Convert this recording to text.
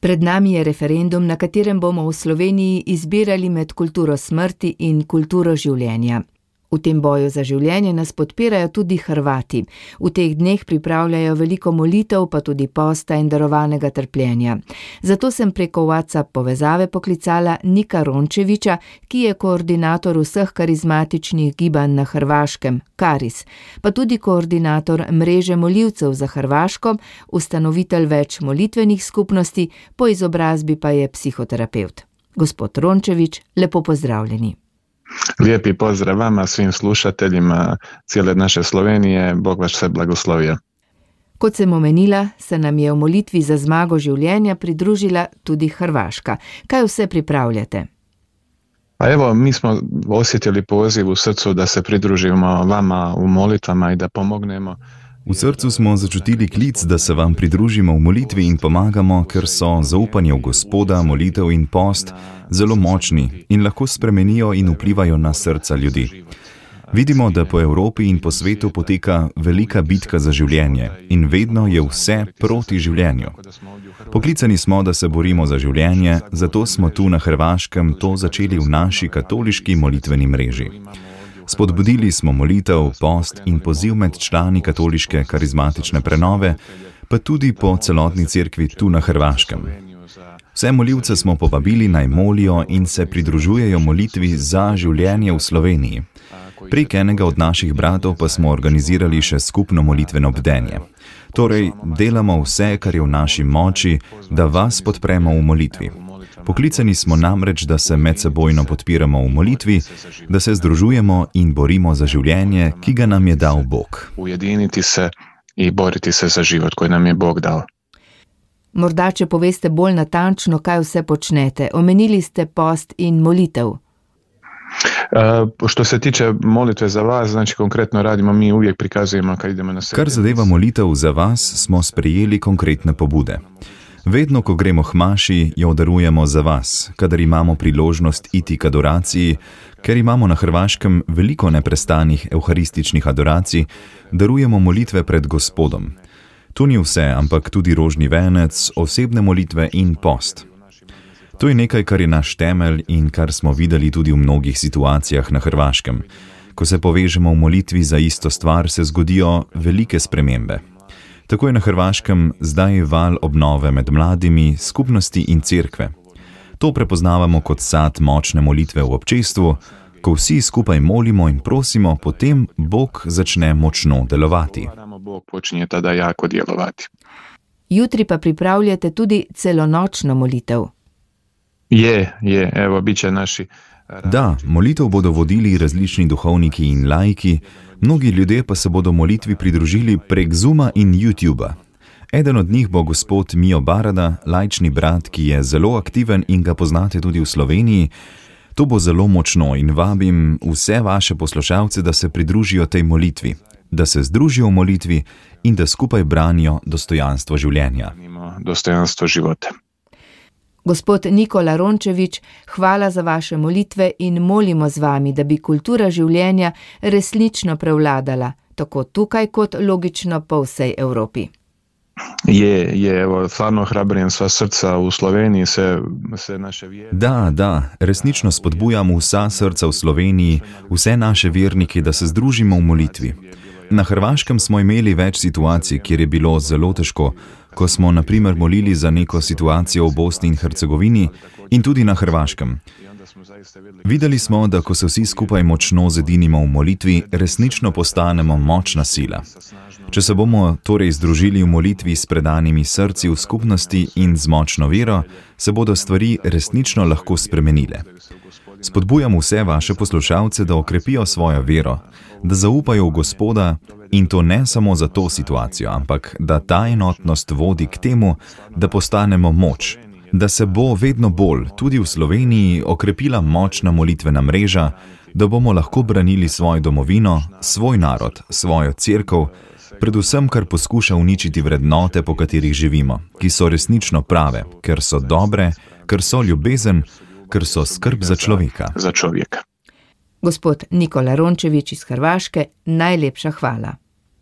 Pred nami je referendum, na katerem bomo v Sloveniji izbirali med kulturo smrti in kulturo življenja. V tem boju za življenje nas podpirajo tudi Hrvati. V teh dneh pripravljajo veliko molitev, pa tudi posta in darovanega trpljenja. Zato sem preko WhatsApp povezave poklicala Nika Rončevića, ki je koordinator vseh karizmatičnih gibanj na Hrvaškem, Karis, pa tudi koordinator mreže molivcev za Hrvaško, ustanovitelj več molitvenih skupnosti, po izobrazbi pa je psihoterapevt. Gospod Rončević, lepo pozdravljeni. Lijepi pozdrav vama, svim slušateljima cijele naše Slovenije, Bog vas sve blagoslovio. Kot sem omenila, se nam je v molitvi za zmago življenja pridružila tudi Hrvaška. Kaj vse pripravljate? Pa evo, mi smo osjetili poziv u srcu da se pridružimo vama u molitvama i da pomognemo. V srcu smo začutili klic, da se vam pridružimo v molitvi in pomagamo, ker so zaupanje v Gospoda, molitev in post zelo močni in lahko spremenijo in vplivajo na srca ljudi. Vidimo, da po Evropi in po svetu poteka velika bitka za življenje in vedno je vse proti življenju. Poklicani smo, da se borimo za življenje, zato smo tu na Hrvaškem to začeli v naši katoliški molitveni mreži. Spodbudili smo molitev, post in poziv med člani katoliške karizmatične prenove, pa tudi po celotni cerkvi tu na Hrvaškem. Vse molivce smo povabili naj molijo in se pridružujejo molitvi za življenje v Sloveniji. Prek enega od naših bratov pa smo organizirali še skupno molitveno bdenje. Torej, delamo vse, kar je v naši moči, da vas podpremo v molitvi. Poklicani smo namreč, da se medsebojno podpiramo v molitvi, da se združujemo in borimo za življenje, ki ga nam je dal Bog. Ujediniti se i boriti se za život koji nam je Bog dao. Morda, če poveste bolj natančno, kaj vse počnete. Omenili ste post in molitev. Što se tiče molitve za vas, znači konkretno radimo, mi uvijek prikazujemo kad idemo na sredinu. Kar zadeva molitev za vas, smo sprejeli konkretne pobude. Vedno, ko gremo k maši, jo darujemo za vas, kadar imamo priložnost iti k adoraciji, ker imamo na Hrvaškem veliko neprestanih evharističnih adoracij, darujemo molitve pred Gospodom. To ni vse, ampak tudi rožni venec, osebne molitve in post. To je nekaj, kar je naš temelj in kar smo videli tudi v mnogih situacijah na Hrvaškem. Ko se povežemo v molitvi za isto stvar, se zgodijo velike spremembe. Tako je na Hrvaškem zdaj val obnove med mladimi, skupnosti in cerkve. To prepoznavamo kot sad močne molitve v občestvu, ko vsi skupaj molimo in prosimo, potem Bog začne močno delovati. Bog počinje tada jako djelovati. Jutri pa pripravljate tudi celonočno molitev. Evo, bit će naši... Da, molitev bodo vodili različni duhovniki in laiki, mnogi ljudje pa se bodo molitvi pridružili prek Zooma in YouTubea. Eden od njih bo gospod Mijo Barada, laični brat, ki je zelo aktiven in ga poznate tudi v Sloveniji. To bo zelo močno in vabim vse vaše poslušalce, da se pridružijo tej molitvi, da se združijo v molitvi in da skupaj branijo dostojanstvo življenja. Dostojanstvo života. Gospod Nikola Rončević, hvala za vaše molitve in molimo z vami, da bi kultura življenja resnično prevladala, tako tukaj kot logično po vsej Evropi. Evo, stvarno hrabrim sva srca v Sloveniji, vse naše vjere. Da, resnično spodbujam vsa srca v Sloveniji, vse naše vernike, da se združimo v molitvi. Na Hrvaškem smo imeli več situacij, kjer je bilo zelo težko, ko smo na primer molili za neko situacijo v Bosni in Hercegovini in tudi na Hrvaškem. Videli smo, da ko se vsi skupaj močno zedinimo v molitvi, resnično postanemo močna sila. Če se bomo torej združili v molitvi s predanimi srci v skupnosti in z močno vero, se bodo stvari resnično lahko spremenile. Spodbujam vse vaše poslušalce, da okrepijo svojo vero, da zaupajo v Gospoda in to ne samo za to situacijo, ampak da ta enotnost vodi k temu, da postanemo moč, da se bo vedno bolj, tudi v Sloveniji, okrepila močna molitvena mreža, da bomo lahko branili svojo domovino, svoj narod, svojo cerkev, predvsem kar poskuša uničiti vrednote, po katerih živimo, ki so resnično prave, ker so dobre, ker so ljubezen, ker so skrb za človeka. Gospod Nikola Rončević iz Hrvaške, najlepša hvala.